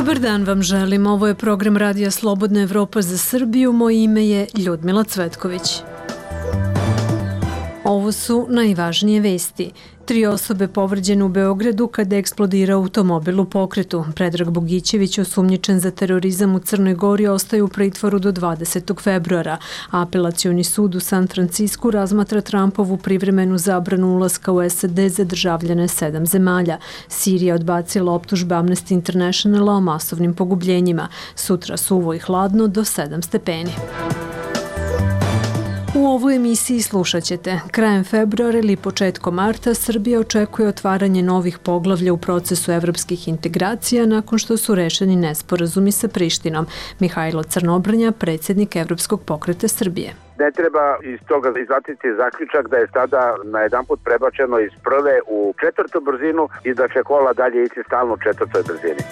Dobar dan vam želim. Ovo je program Radija Slobodna Evropa za Srbiju. Moje ime je Ljudmila Cvetković. Ovo su najvažnije vesti. 3 osobe povređene u Beogradu kada je eksplodirao automobil u pokretu. Predrag Bogićević, osumnjičen za terorizam u Crnoj Gori, ostaje u pritvoru do 20. februara. Apelacioni sud u San Francisku razmatra Trumpovu privremenu zabranu ulaska u SAD za državljane 7 zemalja. Sirija odbacila optužbe Amnesty Internationala o masovnim pogubljenjima. Sutra suvo i hladno do 7 stepeni. U ovoj emisiji slušat ćete. Krajem februara ili početkom marta Srbija očekuje otvaranje novih poglavlja u procesu evropskih integracija nakon što su rešeni nesporazumi sa Prištinom. Mihajlo Crnobrnja, predsjednik Evropskog pokreta Srbije. Ne treba iz toga izvaditi zaključak da je sada najedanput prebačeno iz prve u 4. brzinu i da će kola dalje ići stalno u 4. brzini.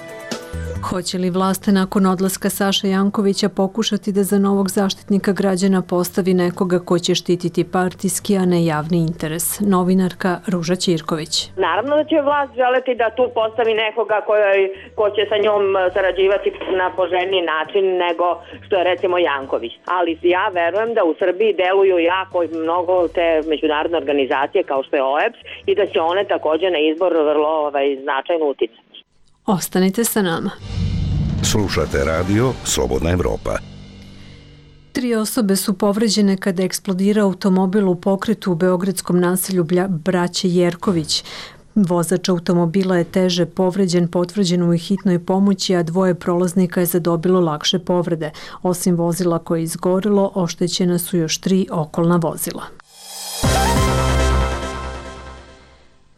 Hoće li vlast nakon odlaska Saše Jankovića pokušati da za novog zaštitnika građana postavi nekoga ko će štititi partijski, a ne javni interes? Novinarka Ruža Ćirković. Naravno da će vlast želeti da tu postavi nekoga ko će sa njom sarađivati na poželjniji način nego što je recimo Janković. Ali ja verujem da u Srbiji deluju jako mnogo te međunarodne organizacije kao što je OEBS i da će one također na izbor vrlo značajno uticati. Ostanite sa nama. Slušate radio Slobodna Evropa. 3 osobe su povređene kada je eksplodirao automobil u pokretu u beogradskom naselju Braće Jerković. Vozač automobila je teže povređen, potvrđen u hitnoj pomoći, a 2 prolaznika je zadobilo lakše povrede. Osim vozila koje je izgorelo, oštećena su još 3 okolna vozila.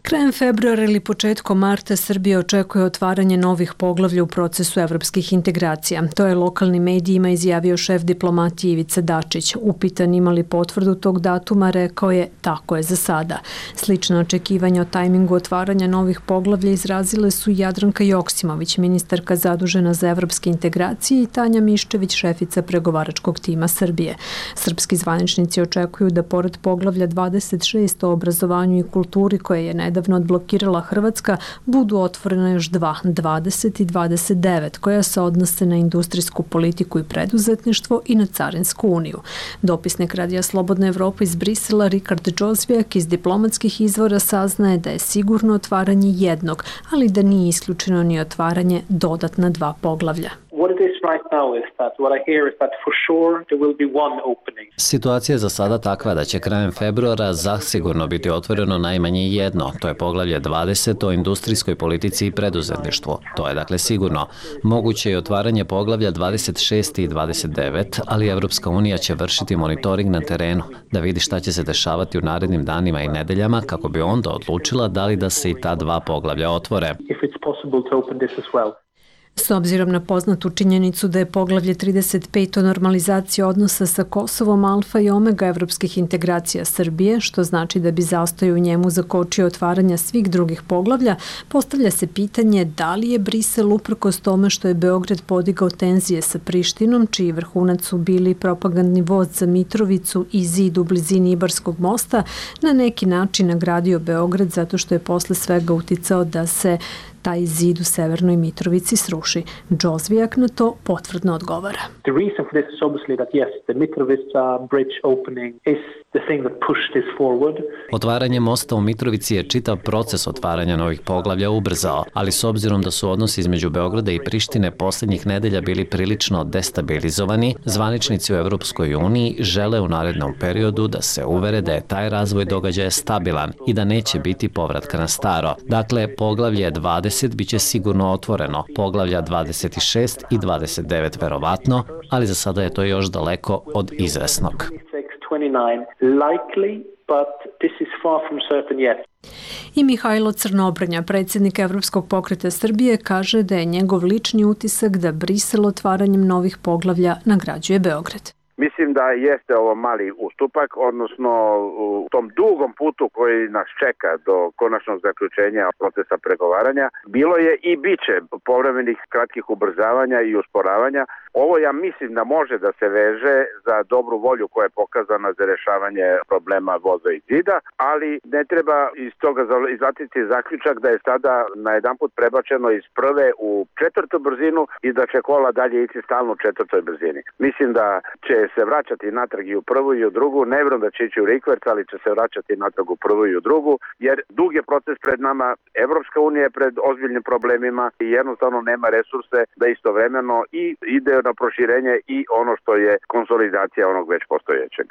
Krajem februara ili početkom marta Srbija očekuje otvaranje novih poglavlja u procesu evropskih integracija. To je lokalnim medijima izjavio šef diplomatije Ivica Dačić. Upitan ima li potvrdu tog datuma, rekao je tako je za sada. Slično očekivanje o tajmingu otvaranja novih poglavlja izrazile su Jadranka Joksimović, ministarka zadužena za evropske integracije, i Tanja Miščević, šefica pregovaračkog tima Srbije. Srpski zvaničnici očekuju da pored poglavlja 26 o obrazovanju i kulturi, koje je nedavno odblokirala Hrvatska, budu otvorena još 2, 20 i 29, koja se odnose na industrijsku politiku i preduzetništvo i na Carinsku uniju. Dopisnik Radija Slobodna Evropa iz Brisela Rikard Džozvijak iz diplomatskih izvora saznaje da je sigurno otvaranje jednog, ali da nije isključeno ni otvaranje dodatna 2 poglavlja. Situacija je za sada takva da će krajem februara zasigurno biti otvoreno najmanje jedno. To je poglavlje 20 o industrijskoj politici i preduzetništvu. To je dakle sigurno. Moguće je otvaranje poglavlja 26 i 29, ali Evropska unija će vršiti monitoring na terenu, da vidi šta će se dešavati u narednim danima i nedeljama, kako bi onda odlučila da li da se i ta 2 poglavlja otvore. S obzirom na poznatu činjenicu da je poglavlje 35 o normalizaciji odnosa sa Kosovom alfa i omega evropskih integracija Srbije, što znači da bi zastoj u njemu zakočio otvaranja svih drugih poglavlja, postavlja se pitanje da li je Brisel, uprkos tome što je Beograd podigao tenzije sa Prištinom, čiji vrhunac su bili propagandni voz za Mitrovicu i zid u blizini Ibarskog mosta, na neki način nagradio Beograd zato što je posle svega uticao da se taj zid u Severnoj Mitrovici sruši. Džozvijak na to potvrdno odgovara. Otvaranje mosta u Mitrovici je čitav proces otvaranja novih poglavlja ubrzao, ali s obzirom da su odnosi između Beograda i Prištine posljednjih nedelja bili prilično destabilizovani, zvaničnici u Evropskoj uniji žele u narednom periodu da se uvere da je taj razvoj događaja stabilan i da neće biti povratka na staro. Dakle, poglavlje 20 biće sigurno otvoreno, poglavlja 26 i 29 verovatno, ali za sada je to još daleko od izvesnog. I Mihajlo Crnobrnja, predsjednik Evropskog pokreta Srbije, kaže da je njegov lični utisak da Brisel otvaranjem novih poglavlja nagrađuje Beograd. Mislim da jeste ovo mali ustupak, odnosno u tom dugom putu koji nas čeka do konačnog zaključenja procesa pregovaranja. Bilo je i biće povremenih kratkih ubrzavanja i usporavanja, Ovo ja mislim da može da se veže za dobru volju koja je pokazana za rešavanje problema voda i zida, ali ne treba iz toga izvaditi zaključak da je sada najedanput prebačeno iz prve u četvrtu brzinu i da će kola dalje ići stalno u četvrtoj brzini. Mislim da će se vraćati natrag i u prvu i u drugu, ne vjerujem da će ići u rikverc, ali će se vraćati natrag u prvu i u drugu, jer dug je proces pred nama, Evropska unija je pred ozbiljnim problemima i jednostavno nema resurse da istovremeno i ide na proširenje i ono što je konsolidacija onog već postojećeg.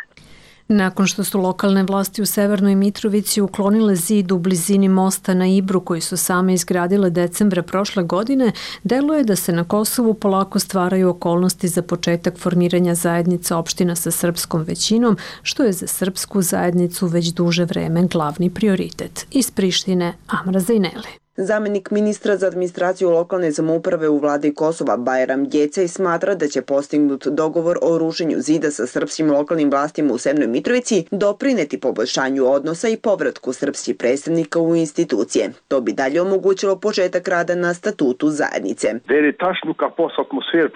Nakon što su lokalne vlasti u Severnoj Mitrovici uklonile zid u blizini mosta na Ibru koji su same izgradile decembra prošle godine, deluje da se na Kosovu polako stvaraju okolnosti za početak formiranja zajednica opština sa srpskom većinom, što je za srpsku zajednicu već duže vreme glavni prioritet. Iz Prištine, Amra Zajneli. Zamenik ministra za administraciju lokalne samouprave u vladi Kosova Bajram Gjecej smatra da će postignut dogovor o rušenju zida sa srpskim lokalnim vlastima u Severnoj Mitrovici doprineti poboljšanju odnosa i povratku srpskih predstavnika u institucije. To bi dalje omogućilo početak rada na statutu zajednice.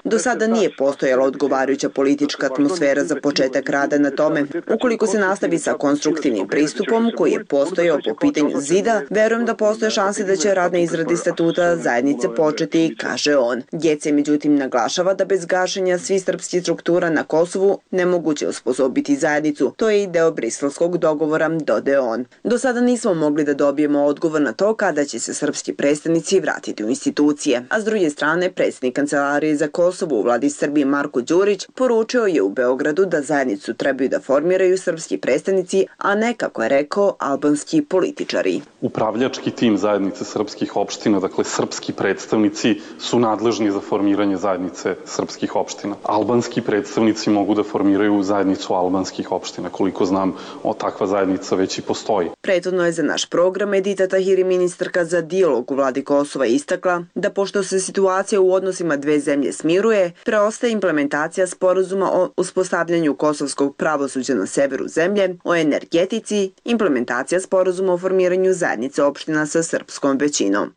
Do sada nije postojala odgovarajuća politička atmosfera za početak rada na tome. Ukoliko se nastavi sa konstruktivnim pristupom koji je postojao po pitanju zida, verujem da postoje šanse da će rad na izradi statuta zajednice početi, kaže on. Gjecej međutim naglašava da bez gašenja svih srpskih struktura na Kosovu nemoguće osposobiti zajednicu. To je i deo briselskog dogovora, dodao on. Do sada nismo mogli da dobijemo odgovor na to kada će se srpski predstavnici vratiti u institucije. A s druge strane, predsjednik Kancelarije za Kosovo u vladi Srbije Marko Đurić poručio je u Beogradu da zajednicu trebaju da formiraju srpski predstavnici, a ne, kako je rekao, albanski političari. Upravljački tim zajednice srpskih opština, dakle srpski predstavnici su nadležni za formiranje zajednice srpskih opština. Albanski predstavnici mogu da formiraju zajednicu albanskih opština. Koliko znam, takva zajednica već i postoji. Prethodno je za naš program Edita Tahiri, ministarka za dijalog u vladi Kosova, istakla da pošto se situacija u odnosima dve zemlje smiruje, preostaje implementacija sporazuma o uspostavljanju kosovskog pravosuđa na severu zemlje, o energetici, implementacija sporazuma o formiranju zajednice opština sa srpskom većinom.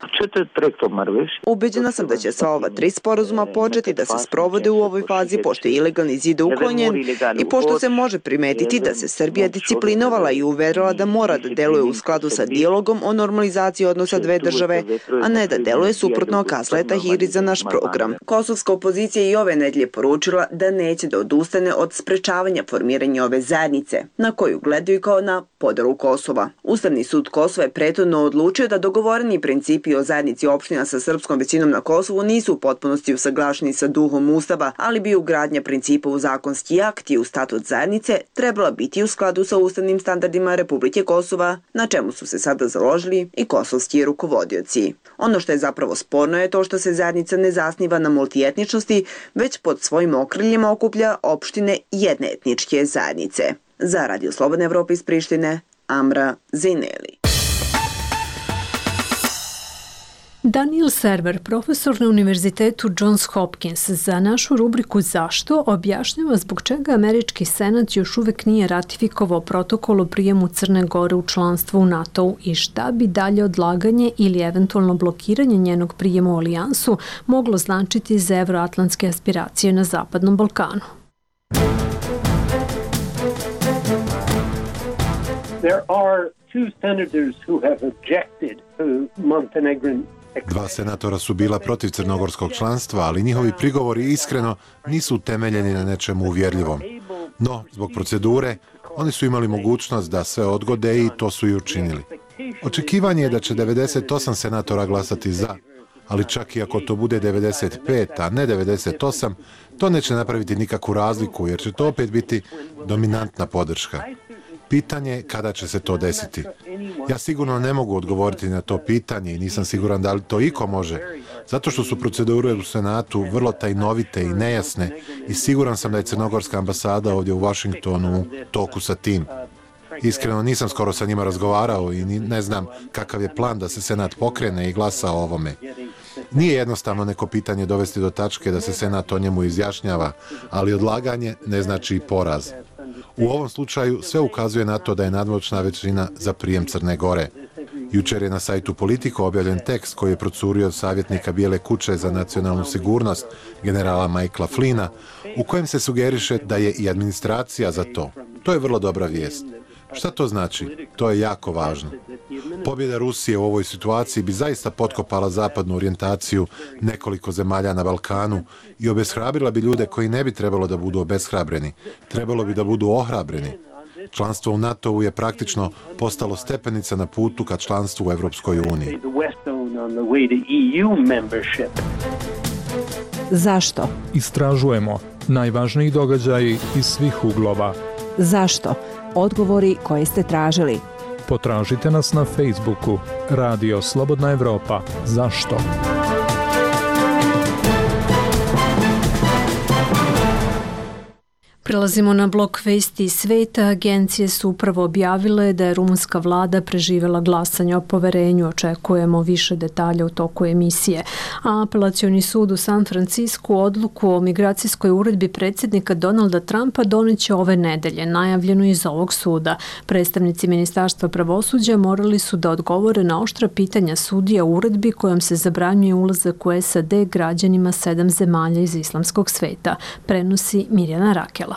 Ubeđena sam da će sva ova 3 sporazuma početi da se sprovode u ovoj fazi pošto je ilegalni zid uklonjen i pošto se može primetiti da se Srbija disciplinovala i uverila da mora da deluje u skladu sa dijalogom o normalizaciji odnosa dve države, a ne da deluje suprotno, kazala je Tahiri za naš program. Kosovska opozicija i ove nedelje poručila da neće da odustane od sprečavanja formiranja ove zajednice, na koju gledaju kao na podelu Kosova. Ustavni sud Kosova je prethodno odlučio da dogovoreni principi o zajednici opština sa srpskom većinom na Kosovu nisu u potpunosti usaglašeni sa duhom Ustava, ali bi ugradnja principa u zakonski akt i u statut zajednice trebala biti u skladu sa ustavnim standardima Republike Kosova, na čemu su se sada založili i kosovski rukovodioci. Ono što je zapravo sporno je to što se zajednica ne zasniva na multietničnosti, već pod svojim okriljima okuplja opštine jedne etničke zajednice. Za Radio Slobodne Evrope iz Prištine, Amra Zajneli. Daniel Server, profesor na Univerzitetu Johns Hopkins, za našu rubriku Zašto objašnjava zbog čega američki senat još uvek nije ratifikovao protokol o prijemu Crne Gore u članstvo u NATO-u i šta bi dalje odlaganje ili eventualno blokiranje njenog prijema u alijansu moglo značiti za evroatlantske aspiracije na Zapadnom Balkanu. There are 2 senators who have objected to Montenegrin. 2 senatora su bila protiv crnogorskog članstva, ali njihovi prigovori iskreno nisu utemeljeni na nečemu uvjerljivom. No, zbog procedure, oni su imali mogućnost da sve odgode i to su i učinili. Očekivanje je da će 98 senatora glasati za, ali čak i ako to bude 95, a ne 98, to neće napraviti nikakvu razliku, jer će to opet biti dominantna podrška. Pitanje je kada će se to desiti. Ja sigurno ne mogu odgovoriti na to pitanje i nisam siguran da li to iko može, zato što su procedure u Senatu vrlo tajnovite i nejasne i siguran sam da je crnogorska ambasada ovdje u Washingtonu u toku sa tim. Iskreno nisam skoro sa njima razgovarao i ne znam kakav je plan da se Senat pokrene i glasa o ovome. Nije jednostavno neko pitanje dovesti do tačke da se Senat o njemu izjašnjava, ali odlaganje ne znači i poraz. U ovom slučaju sve ukazuje na to da je nadmoćna većina za prijem Crne Gore. Jučer je na sajtu Politico objavljen tekst koji je procurio od savjetnika Bijele kuće za nacionalnu sigurnost, generala Michaela Flynna, u kojem se sugeriše da je i administracija za to. To je vrlo dobra vijest. Šta to znači? To je jako važno. Pobjeda Rusije u ovoj situaciji bi zaista potkopala zapadnu orijentaciju nekoliko zemalja na Balkanu i obeshrabrila bi ljude koji ne bi trebalo da budu obeshrabreni. Trebalo bi da budu ohrabreni. Članstvo u NATO-u je praktično postalo stepenica na putu ka članstvu u Evropskoj uniji. Zašto? Istražujemo najvažniji događaji iz svih uglova. Zašto? Odgovori koje ste tražili. Potražite nas na Facebooku Radio Slobodna Evropa. Zašto? Prelazimo na blok vesti iz sveta. Agencije su upravo objavile da je rumunska vlada preživjela glasanje o poverenju. Očekujemo više detalja u toku emisije. A apelacioni sud u San Francisku odluku o migracijskoj uredbi predsjednika Donalda Trumpa doneće ove nedelje, najavljeno iz ovog suda. Predstavnici Ministarstva pravosuđa morali su da odgovore na oštra pitanja sudija u uredbi kojom se zabranjuje ulazak u SAD građanima 7 zemalja iz islamskog sveta. Prenosi Mirjana Rakela.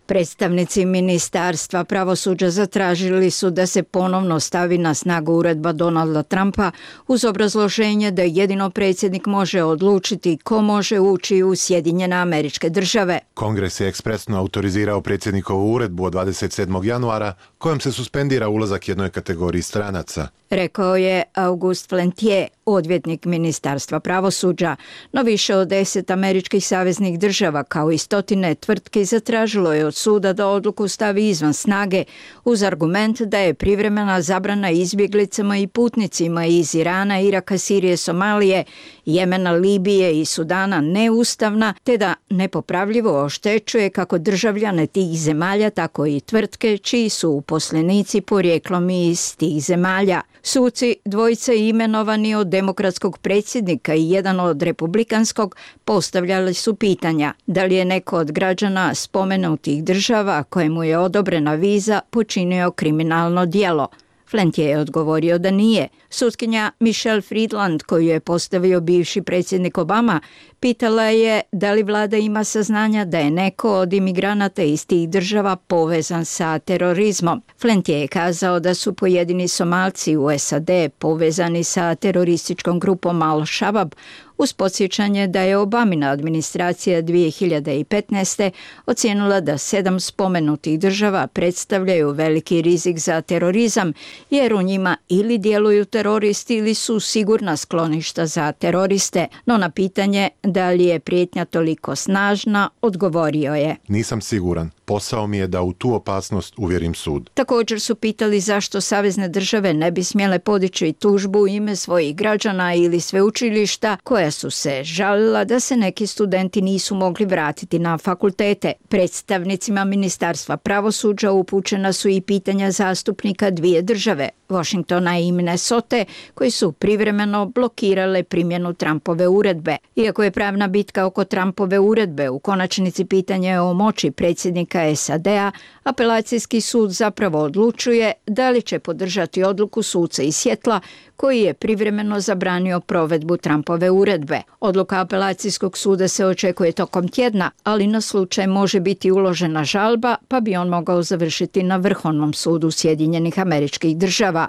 Predstavnici Ministarstva pravosuđa zatražili su da se ponovno stavi na snagu uredba Donalda Trumpa uz obrazloženje da jedino predsjednik može odlučiti ko može ući u Sjedinjene Američke Države. Kongres je ekspresno autorizirao predsjednikovu uredbu od 27. januara kojom se suspendira ulazak jednoj kategoriji stranaca. Rekao je August Flentier, odvjetnik Ministarstva pravosuđa, no više od 10 američkih saveznih država kao i stotine tvrtki zatražilo je od suda da odluku stavi izvan snage uz argument da je privremena zabrana izbjeglicama i putnicima iz Irana, Iraka, Sirije, Somalije, Jemena, Libije i Sudana neustavna te da nepopravljivo oštećuje kako državljane tih zemalja, tako i tvrtke čiji su uposlenici porijeklom iz tih zemalja. Suci, dvojica imenovani od demokratskog predsjednika i jedan od republikanskog, postavljali su pitanja da li je neko od građana spomenutih država kojemu je odobrena viza počinio kriminalno djelo. Flentier je odgovorio da nije. Sutkinja Michelle Friedland, koju je postavio bivši predsjednik Obama, pitala je da li vlada ima saznanja da je neko od imigranata iz tih država povezan sa terorizmom. Flentier je kazao da su pojedini Somalci u SAD povezani sa terorističkom grupom Al-Shabaab, uz podsjećanje da je Obamina administracija 2015. ocijenila da 7 spomenutih država predstavljaju veliki rizik za terorizam, jer u njima ili djeluju teroristi ili su sigurna skloništa za teroriste. No na pitanje da li je prijetnja toliko snažna, odgovorio je: Nisam siguran. Posao mi je da u tu opasnost uvjerim sud. Također su pitali zašto savezne države ne bi smjele podići tužbu u ime svojih građana ili sveučilišta koja su se žalila da se neki studenti nisu mogli vratiti na fakultete. Predstavnicima Ministarstva pravosuđa upućena su i pitanja zastupnika dvije države, Washingtona i Minnesota, koji su privremeno blokirale primjenu Trumpove uredbe. Iako je pravna bitka oko Trumpove uredbe u konačnici pitanje o moći predsjednika SAD-a, apelacijski sud zapravo odlučuje da li će podržati odluku suca iz Sjetla koji je privremeno zabranio provedbu Trumpove uredbe. Odluka apelacijskog suda se očekuje tokom tjedna, ali na slučaj može biti uložena žalba, pa bi on mogao završiti na Vrhovnom sudu Sjedinjenih Američkih Država.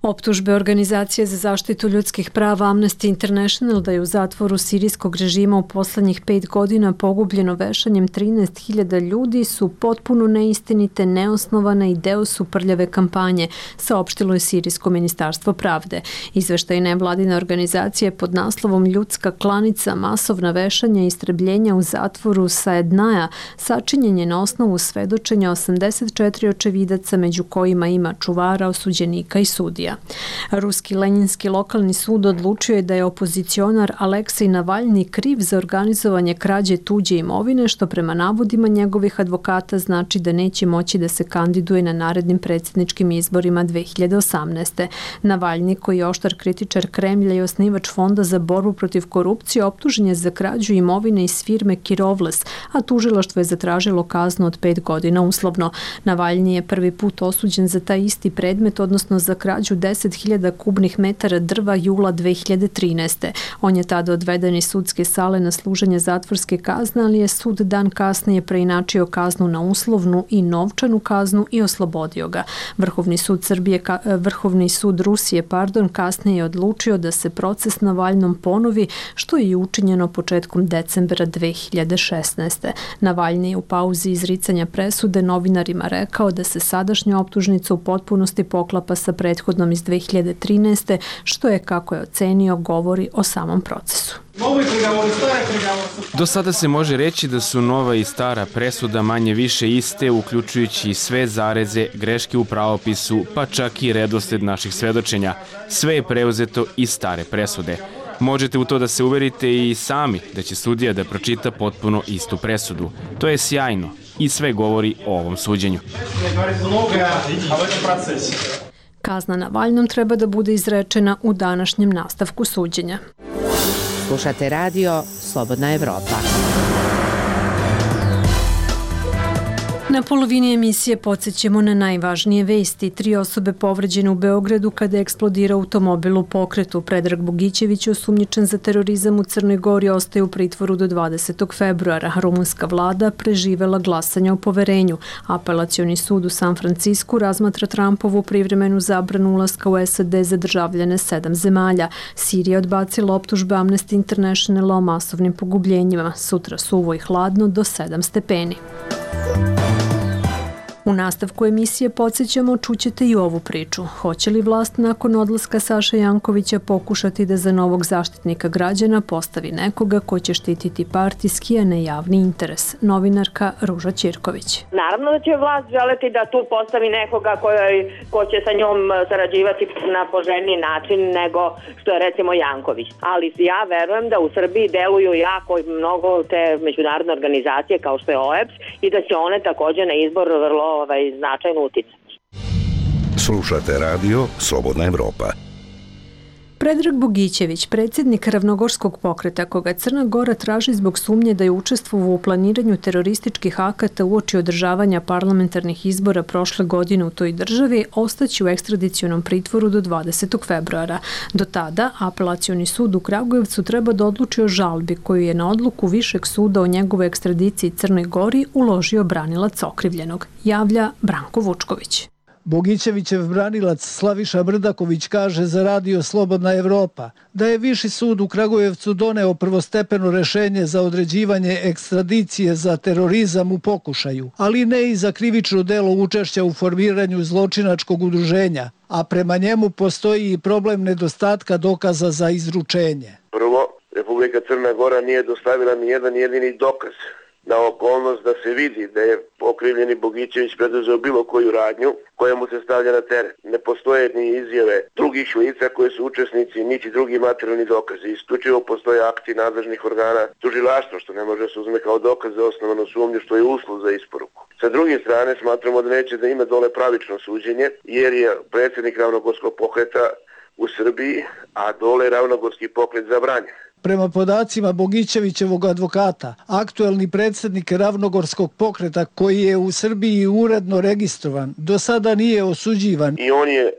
Optužbe Organizacije za zaštitu ljudskih prava Amnesty International da je u zatvoru sirijskog režima u poslednjih 5 godina pogubljeno vešanjem 13.000 ljudi su potpuno neistinite, neosnovane i deo su prljave kampanje, saopštilo je Sirijsko ministarstvo pravde. Izveštaj nevladine organizacije pod naslovom Ljudska klanica, masovna vešanja i istrebljenja u zatvoru Saednaja sačinjen je na osnovu svedočenja 84 očevidaca, među kojima ima čuvara, osuđenika i sudija. Ruski Lenjinski lokalni sud odlučio je da je opozicionar Aleksej Navalni kriv za organizovanje krađe tuđe imovine, što prema navodima njegovih advokata znači da neće moći da se kandiduje na narednim predsjedničkim izborima 2018. Navalni, koji je oštar kritičar Kremlja i osnivač Fonda za borbu protiv korupcije, optužen je za krađu imovine iz firme Kirovles, a tužilaštvo je zatražilo kaznu od 5 godina uslovno. Navalni je prvi put osuđen za taj isti predmet, odnosno za krađu 10.000 kubnih metara drva jula 2013. On je tada odveden iz sudske sale na služenje zatvorske kazne, ali je sud dan kasnije preinačio kaznu na uslovnu i novčanu kaznu i oslobodio ga. Vrhovni sud Rusije kasnije je odlučio da se proces Navalnom ponovi, što je i učinjeno početkom decembra 2016. Navalni je u pauzi izricanja presude novinarima rekao da se sadašnja optužnica u potpunosti poklapa sa prethodnom iz 2013. što je, kako je ocenio, govori o samom procesu. Do sada se može reći da su nova i stara presuda manje više iste, uključujući sve zareze, greške u pravopisu, pa čak i redosled naših svedočenja. Sve je preuzeto iz stare presude. Možete u to da se uverite i sami da će sudija da pročita potpuno istu presudu. To je sjajno i sve govori o ovom suđenju. Kazna Navalnom treba da bude izrečena u današnjem nastavku suđenja. Slušate radio Slobodna Evropa. Na polovini emisije podsjećamo na najvažnije vesti. 3 osobe povređene u Beogradu kada je eksplodirao automobil u pokretu. Predrag Bogićević, osumnjičen za terorizam u Crnoj Gori, ostaje u pritvoru do 20. februara. Rumunska vlada preživela glasanje o poverenju. Apelacioni sud u San Francisku razmatra Trumpovu privremenu zabranu ulaska u SAD za državljane 7 zemalja. Sirija odbacila optužbe Amnesty Internationala o masovnim pogubljenjima. Sutra suvo i hladno do 7 stepeni. U nastavku emisije podsjećamo, čućete i ovu priču. Hoće li vlast nakon odlaska Saše Jankovića pokušati da za novog zaštitnika građana postavi nekoga ko će štititi partijski, a ne javni interes? Novinarka Ruža Ćirković. Naravno da će vlast želeti da tu postavi nekoga ko će sa njom sarađivati na poželjniji način nego što je recimo Janković. Ali ja verujem da u Srbiji deluju jako mnogo te međunarodne organizacije kao što je OEBS i da će one također na izbor vrlo značajno uticati. Slušate radio Slobodna Evropa. Predrag Bogićević, predsjednik Ravnogorskog pokreta, koga Crna Gora traži zbog sumnje da je učestvovao u planiranju terorističkih akata uoči održavanja parlamentarnih izbora prošle godine u toj državi, ostaće u ekstradicionom pritvoru do 20. februara. Do tada, apelacioni sud u Kragujevcu treba da odluči o žalbi koju je na odluku Višeg suda o njegovoj ekstradiciji Crnoj Gori uložio branilac okrivljenog, javlja Branko Vučković. Bogićevićev branilac Slaviša Brdaković kaže za radio Slobodna Evropa da je Viši sud u Kragujevcu doneo prvostepeno rešenje za određivanje ekstradicije za terorizam u pokušaju, ali ne i za krivično delo učešća u formiranju zločinačkog udruženja, a prema njemu postoji i problem nedostatka dokaza za izručenje. Prvo, Republika Crna Gora nije dostavila ni jedan jedini dokaz na okolnost da se vidi da je okrivljeni Bogićević preduzeo bilo koju radnju koja mu se stavlja na teret. Ne postoje ni izjave drugih lica koje su učesnici, niti drugi materijalni dokazi. Isključivo postoje akti nadležnih organa tužilaštva, što ne može se uzme kao dokaz za osnovanu sumnju, što je uslov za isporuku. Sa druge strane, smatramo da neće da ima dole pravično suđenje, jer je predsjednik Ravnogorskog pokreta u Srbiji, a dole Ravnogorski pokret zabranjen. Prema podacima Bogićevićevog advokata, aktuelni predsjednik Ravnogorskog pokreta koji je u Srbiji uredno registrovan, do sada nije osuđivan. I on je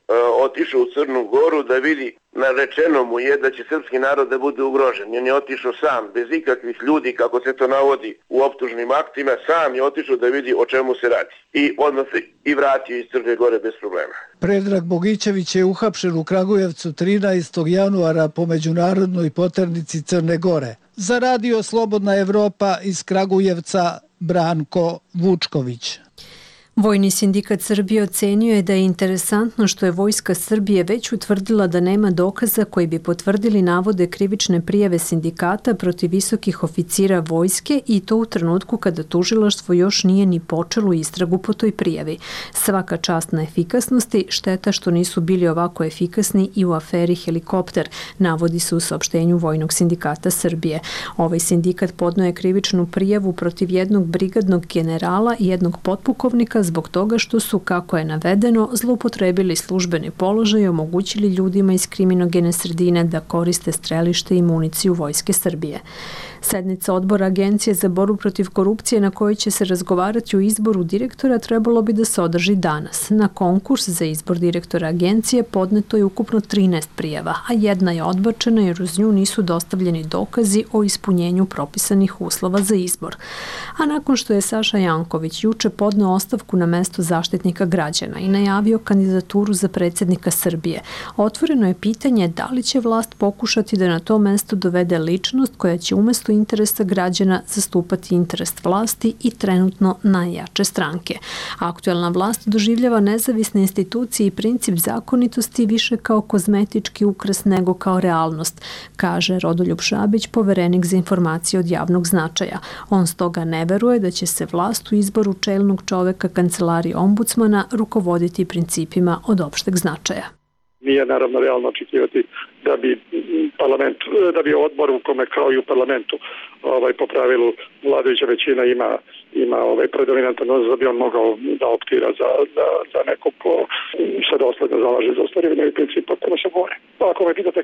otišao u Crnu Goru da vidi, narečeno mu je da će srpski narod da bude ugrožen. On je otišao sam, bez ikakvih ljudi, kako se to navodi u optužnim aktima, sam je otišao da vidi o čemu se radi. I odmah se i vratio iz Crne Gore bez problema. Predrag Bogićević je uhapšen u Kragujevcu 13. januara po međunarodnoj poternici Crne Gore. Za radio Slobodna Evropa iz Kragujevca, Branko Vučković. Vojni sindikat Srbije ocenio je da je interesantno što je Vojska Srbije već utvrdila da nema dokaza koji bi potvrdili navode krivične prijave sindikata protiv visokih oficira vojske i to u trenutku kada tužilaštvo još nije ni počelo istragu po toj prijavi. Svaka čast na efikasnosti, šteta što nisu bili ovako efikasni i u aferi Helikopter, navodi se u saopštenju Vojnog sindikata Srbije. Ovaj sindikat podneo je krivičnu prijavu protiv jednog brigadnog generala i jednog potpukovnika zbog toga što su, kako je navedeno, zloupotrebili službeni položaj i omogućili ljudima iz kriminogene sredine da koriste strelište i municiju Vojske Srbije. Sednica odbora Agencije za borbu protiv korupcije na kojoj će se razgovarati o izboru direktora trebalo bi da se održi danas. Na konkurs za izbor direktora agencije podneto je ukupno 13 prijava, a jedna je odbačena jer uz nju nisu dostavljeni dokazi o ispunjenju propisanih uslova za izbor. A nakon što je Saša Janković juče podneo ostavku na mesto Zaštitnika građana i najavio kandidaturu za predsjednika Srbije, otvoreno je pitanje da li će vlast pokušati da na to mesto dovede ličnost koja će umjesto interesa građana zastupati interes vlasti i trenutno najjače stranke. Aktuelna vlast doživljava nezavisne institucije i princip zakonitosti više kao kozmetički ukras nego kao realnost, kaže Rodoljub Šabić, poverenik za informacije od javnog značaja. On stoga ne veruje da će se vlast u izboru čelnog čoveka kancelarije ombudsmana rukovoditi principima od opšteg značaja. Nije naravno realno očekivati da bi odbor u kome kao i u parlamentu po pravilu vladajuća većina ima predominantan odnos da bi on mogao da optira za nekog ko se dosledno zalaže za ostvarivanje ovih principa kome se bore. Ako me pitate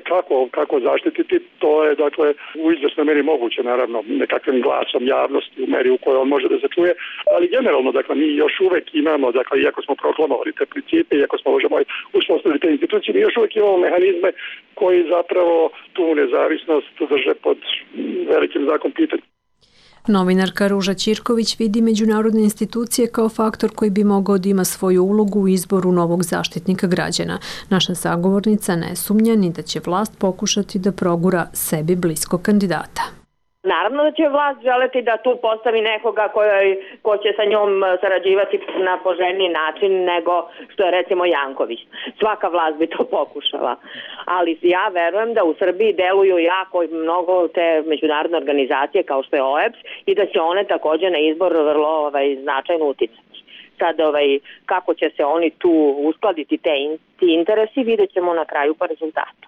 kako zaštititi, to je dakle u izvjesnoj meri moguće, naravno nekakvim glasom javnosti u meri u kojoj on može da se čuje, ali generalno dakle mi još uvek imamo, dakle iako smo proklamovali te principe, iako smo možemo uspostaviti te institucije, mi još uvek imamo mehanizme koji zapravo tu nezavisnost drže pod velikim znakom pitanja. Novinarka Ruža Ćirković vidi međunarodne institucije kao faktor koji bi mogao da ima svoju ulogu u izboru novog Zaštitnika građana. Naša sagovornica ne sumnja ni da će vlast pokušati da progura sebi bliskog kandidata. Naravno da će vlast želeti da tu postavi nekoga ko će sa njom sarađivati na poželjniji način nego što je recimo Janković. Svaka vlast bi to pokušala. Ali ja verujem da u Srbiji deluju jako mnogo te međunarodne organizacije kao što je OEBS i da će one također na izbor vrlo značajno uticati. Sad kako će se oni tu uskladiti ti interesi vidjet ćemo na kraju po rezultatu.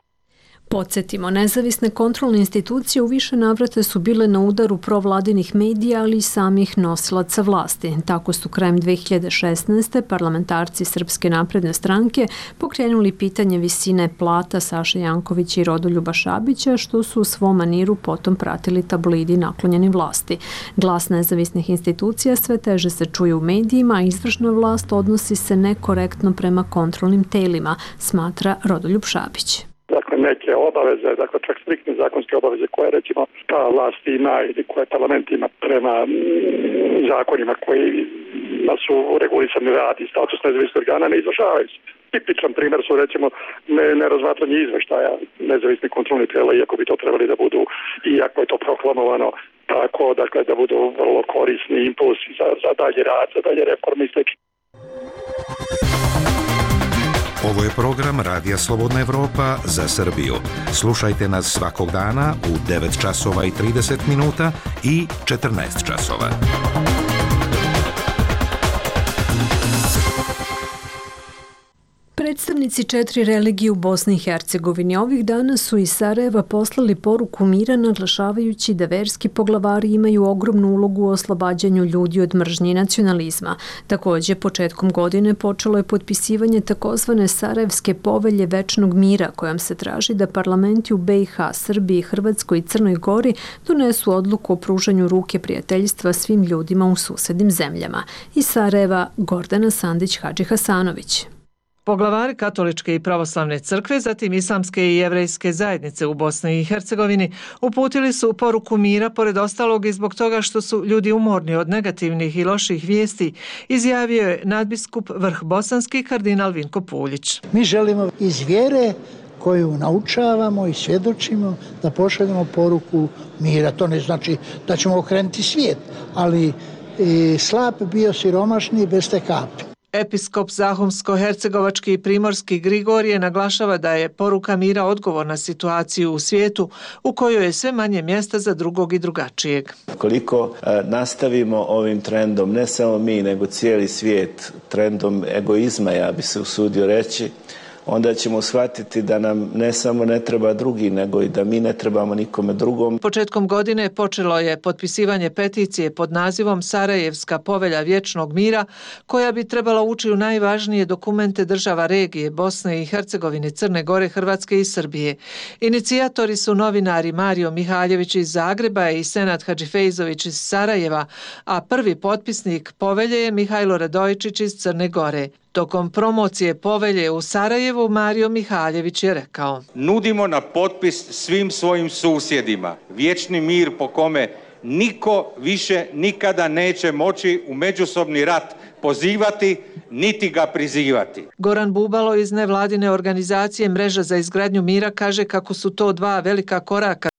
Podsjetimo, nezavisne kontrolne institucije u više navrata su bile na udaru provladinih medija, ali i samih nosilaca vlasti. Tako su krajem 2016. parlamentarci Srpske napredne stranke pokrenuli pitanje visine plata Saše Jankovića i Rodoljuba Šabića, što su u svom maniru potom pratili tabloidi naklonjeni vlasti. Glas nezavisnih institucija sve teže se čuje u medijima, a izvršna vlast odnosi se nekorektno prema kontrolnim telima, smatra Rodoljub Šabić. Dakle, neke obaveze, dakle čak striktne zakonske obaveze koje recimo ta vlast ima ili koje parlament ima prema zakonima koji su regulisani rad i status nezavisnih organa ne izvršavaju se. Tipičan primjer su recimo nerazmatranje izveštaja nezavisnih kontrolnih tijela, iako bi to trebali da budu, iako je to proklamovano tako, dakle da budu vrlo korisni impulsi za dalje rad, za dalje reforme i slično. Ovo je program Radija Slobodna Evropa za Srbiju. Slušajte nas svakog dana u 9 časova i 30 minuta i 14 časova. Predstavnici 4 religije u Bosni i Hercegovini ovih dana su iz Sarajeva poslali poruku mira naglašavajući da verski poglavari imaju ogromnu ulogu u oslobađanju ljudi od mržnje i nacionalizma. Također, početkom godine počelo je potpisivanje takozvane Sarajevske povelje večnog mira kojom se traži da parlamenti u BiH, Srbiji, Hrvatskoj i Crnoj Gori donesu odluku o pružanju ruke prijateljstva svim ljudima u susednim zemljama. Iz Sarajeva Gordana Sandić-Hadžihasanović. Poglavari katoličke i pravoslavne crkve, zatim islamske i jevrejske zajednice u Bosni i Hercegovini uputili su poruku mira, pored ostalog i zbog toga što su ljudi umorni od negativnih i loših vijesti, izjavio je nadbiskup Vrh bosanski kardinal Vinko Puljić. Mi želimo iz vjere koju naučavamo i svjedočimo da pošaljemo poruku mira. To ne znači da ćemo okrenuti svijet, ali slab bio siromašni bez te kapi. Episkop Zahumsko-hercegovački i primorski Grigorije naglašava da je poruka mira odgovor na situaciju u svijetu u kojoj je sve manje mjesta za drugog i drugačijeg. Koliko nastavimo ovim trendom, ne samo mi, nego cijeli svijet, trendom egoizma, ja bi se usudio reći, onda ćemo shvatiti da nam ne samo ne treba drugi, nego i da mi ne trebamo nikome drugom. Početkom godine počelo je potpisivanje peticije pod nazivom Sarajevska povelja vječnog mira, koja bi trebala ući u najvažnije dokumente država regije Bosne i Hercegovine, Crne Gore, Hrvatske i Srbije. Inicijatori su novinari Mario Mihaljević iz Zagreba i Senad Hadžifejzović iz Sarajeva, a prvi potpisnik povelje je Mihajlo Radojičić iz Crne Gore. Tokom promocije povelje u Sarajevu Mario Mihaljević je rekao: Nudimo na potpis svim svojim susjedima vječni mir po kome niko više nikada neće moći u međusobni rat pozivati niti ga prizivati. Goran Bubalo iz nevladine organizacije Mreža za izgradnju mira kaže kako su to dva velika koraka u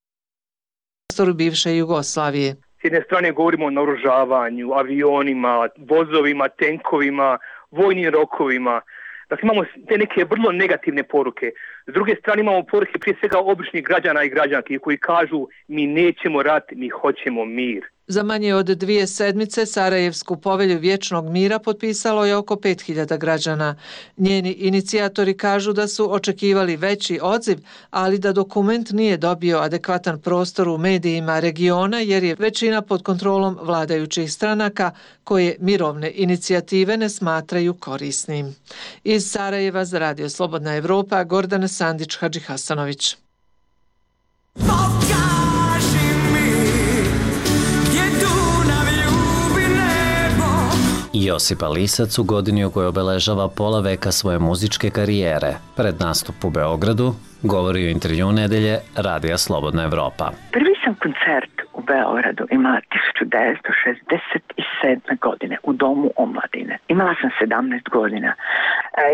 prostoru bivše Jugoslavije. S jedne strane govorimo o naoružavanju, avionima, vozovima, tenkovima, vojnim rokovima. Dakle, imamo te neke vrlo negativne poruke. S druge strane imamo poruke prije svega običnih građana i građanki koji kažu mi nećemo rat, mi hoćemo mir. Za manje od 2 sedmice Sarajevsku povelju vječnog mira potpisalo je oko 5000 građana. Njeni inicijatori kažu da su očekivali veći odziv, ali da dokument nije dobio adekvatan prostor u medijima regiona jer je većina pod kontrolom vladajućih stranaka koje mirovne inicijative ne smatraju korisnim. Iz Sarajeva za Radio Slobodna Evropa, Gordana Sandić-Hadžihasanović. Josipa Lisac u godini u kojoj obeležava pola veka svoje muzičke karijere. Pred nastup u Beogradu govori u intervju nedelje Radija Slobodna Evropa. Prvi sam koncert u Beogradu imala 1967. godine u Domu omladine. Imala sam 17 godina.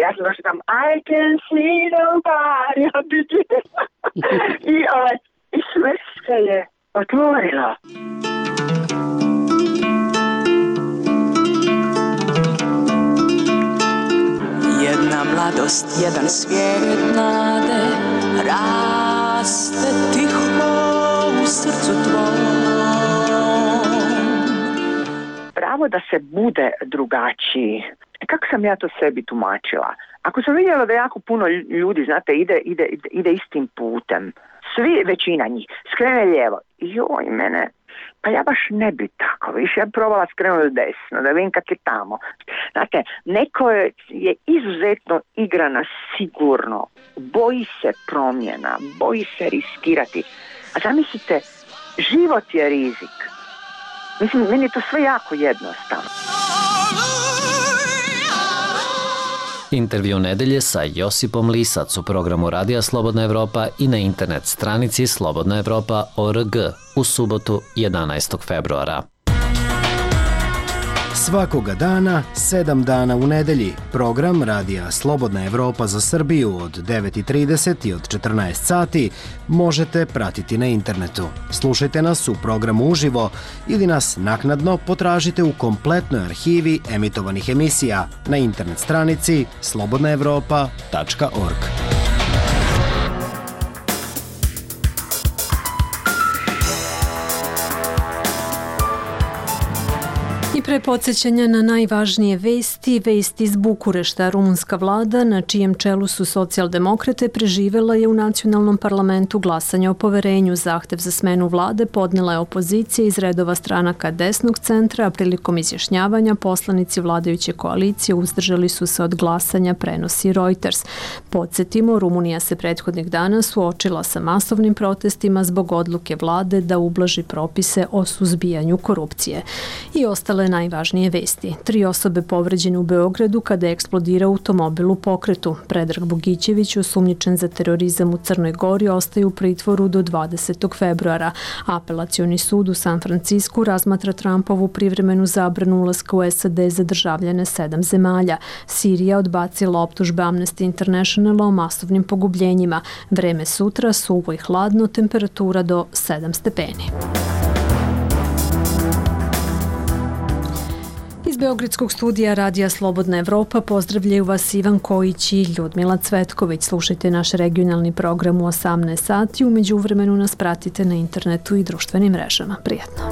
Ja sam došla tam I can see nobody i sve se je otvorilo. Jedna mladost, jedan svijet nade, raste tiho u srcu tvojom. Pravo da se bude drugačiji. Kako sam ja to sebi tumačila? Ako sam vidjela da jako puno ljudi, znate, ide istim putem, svi, većina njih, skrene lijevo. Joj, mene, pa ja baš ne bi tako, više ja probala skrenuti desno, da vidim kak je tamo. Znate, neko je izuzetno igrana sigurno, boji se promjena, boji se riskirati. A zamislite, život je rizik. Mislim, meni je to sve jako jednostavno. Intervju nedelje sa Josipom Lisac u programu Radija Slobodna Evropa i na internet stranici slobodnaevropa.org u subotu 11. februara. Svakoga dana, 7 dana u nedelji, program Radija Slobodna Evropa za Srbiju od 9:30 i od 14 sati možete pratiti na internetu. Slušajte nas u programu uživo ili nas naknadno potražite u kompletnoj arhivi emitovanih emisija na internet stranici slobodnaevropa.org. I pre podsjećanja na najvažnije vesti iz Bukurešta, rumunska vlada, na čijem čelu su socijaldemokrate, preživela je u nacionalnom parlamentu glasanje o poverenju. Zahtev za smenu vlade podnela je opozicija iz redova stranaka desnog centra, a prilikom izjašnjavanja poslanici vladajuće koalicije uzdržali su se od glasanja, prenosi Reuters. Podsjetimo, Rumunija se prethodnih dana suočila sa masovnim protestima zbog odluke vlade da ublaži propise o suzbijanju korupcije. I ostale najvažnije vesti. 3 osobe povređene u Beogradu kada je eksplodirao automobil u pokretu. Predrag Bogićević, osumnjičen za terorizam u Crnoj Gori, ostaje u pritvoru do 20. februara. Apelacioni sud u San Francisku razmatra Trumpovu privremenu zabranu ulaska u SAD za državljane 7 zemalja. Sirija odbacila optužbe Amnesty Internationala o masovnim pogubljenjima. Vreme sutra suvo i hladno, temperatura do 7 stepeni. Iz Beogradskog studija Radija Slobodna Evropa pozdravljaju vas Ivan Kojić i Ljudmila Cvetković. Slušajte naš regionalni program u 18 sati. U međuvremenu nas pratite na internetu i društvenim mrežama. Prijatno.